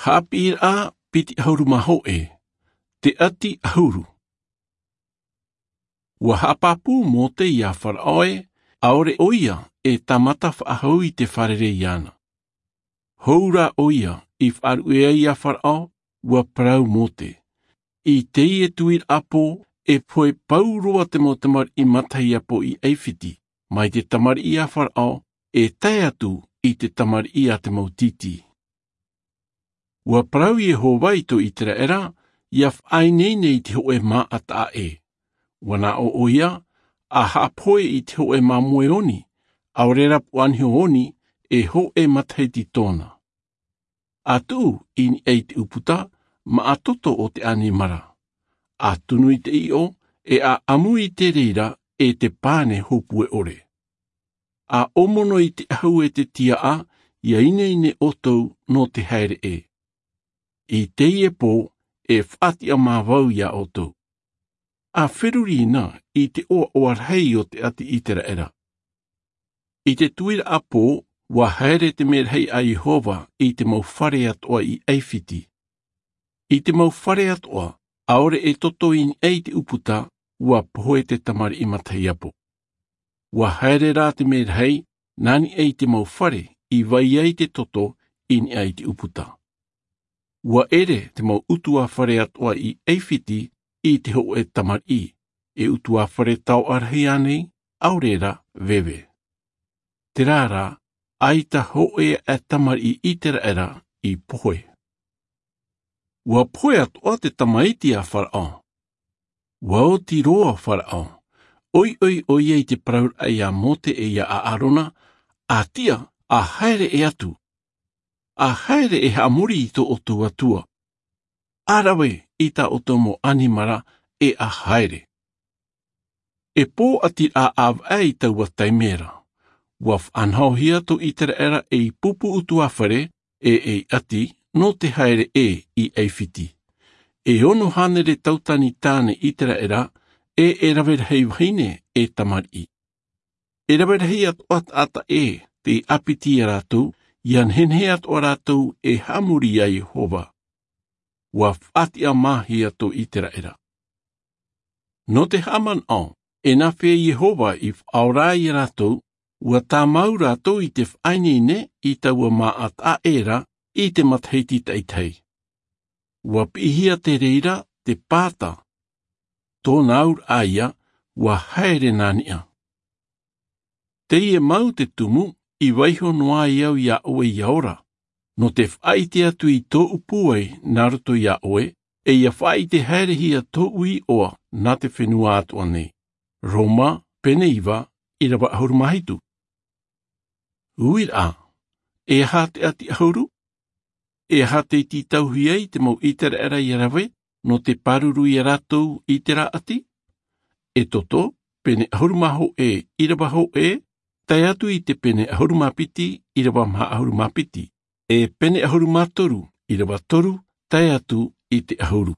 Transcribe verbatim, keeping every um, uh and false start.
Haʻapiʻiraʻa piti ʻahuru mā hōʻē. Te ʻati ʻahuru. Ua haʻapāpū mōte iā faraʻo ē, ʻaore ʻo ia e tāmata faʻahou i te fārerei iāna. Hou rā ʻo ia i faʻaruʻe ai iā faraʻo, ua parau mōte. I teie tuiraʻa pō, e pohe pau roa te mau tamariʻi matahiapo i ʻaifiti, mai te tamariʻi a faraʻo e tae atu i te tamariʻi a te mau tītī. Ua parau iehova i tō iseraela, ia faʻaineine i te hōʻē māʻa taʻa ʻē. Ua naʻo ʻo ia, a haʻapohe i te hōʻē māmoe oni, ʻaore rā puʻa niho oni, e hōʻē matahiti tōna. A tuʻu i niʻa i te ʻūputa, maʻa toto o te ʻanimara. A tunu i te ʻiʻo, e a ʻamu i te reira e te pane hōpue ʻore. A ʻōmono i te ʻahu e te tiaʻa, ia ineine ʻoutou nō te haere ʻē. I teie pō, e faʻatiʻa mā vau iā ʻoutou. A feruri na i te ʻoaʻoa rahi o te ʻati iseraela. I te tuiraʻa pō, ua haere te merahi a iehova i te mau fare atoʻa i ʻaifiti. I te mau fare atoʻa, ʻaore e toto i niʻa i te ʻūputa, ua pohe te tamariʻi matahiapo. Ua haere rā te merahi nā niʻa i te mau fare i vai ai te toto i niʻa i te ʻūputa. Ua ʻere te mau ʻutuāfare atoʻa i ʻaifiti i te hōʻē tamariʻi, e ʻutuāfare taoʻa rahi ānei, ʻaore rā veve. Terā rā, ʻaita hōʻē aʻe tamariʻi iseraela i pohe. Ua pohe atoʻa te tamaiti a faraʻo. Ua oti roa faraʻo. ʻOiʻoi ʻo ia i te parauraʻa iā mōse e iā ʻaarona, a tiʻa, a haere ʻē atu. A haere e haʻamori i tō ʻoutou atua. A rave i tā ʻoutou mau ʻanimara, e a haere. E pōʻati rā ʻāvaʻe i taua taime ra. Ua faʻanahohia tō iseraela ei pupu ʻutuāfare, e ei ʻati nō te haere ʻē i ʻaifiti. E ono hānere tautani tāne iseraela, e e rave rahi vahine e tamariʻi. E rave rahi atoʻa taʻata ʻē tei ʻāpiti iā rātou, ia nehenehe atoʻa rātou e haʻamori iā iehova. Ua faʻatiʻa māhia tō iseraela. Nō te haʻamanaʻo, e nāfea iehova i faʻaora ai iā rātou, ua tāmau rātou i te faʻaineine i taua māʻa taʻa ʻē ra i te matahiti taʻitahi. Ua piʻihia te reira te pāta. Tōna auraʻa ia, ua haere nā niʻa. Teie mau te tumu, i vaiho noa ai au iā ʻoe ia ora. Nō te faʻaʻite atu i tōʻu pūai nā roto iā ʻoe, e ia faʻaʻite haerehia tōʻu iʻoa nā te fenua atoʻa nei. Roma, pene iva, ʻirava ʻahuru mā hitu. Uiraʻa, e aha te ʻati ʻahuru? E aha tei tītauhia ai te mau iseraela ia rave, nō te pāruru iā rātou i terā ʻati? Exodo, pene ʻahuru mā hōʻē, ʻirava hōʻē, tae atu i te pene ʻahuru mā piti, ʻirava maha ʻahuru mā piti. E pene ʻahuru mā toru, ʻirava toru, tae atu i te ʻahuru.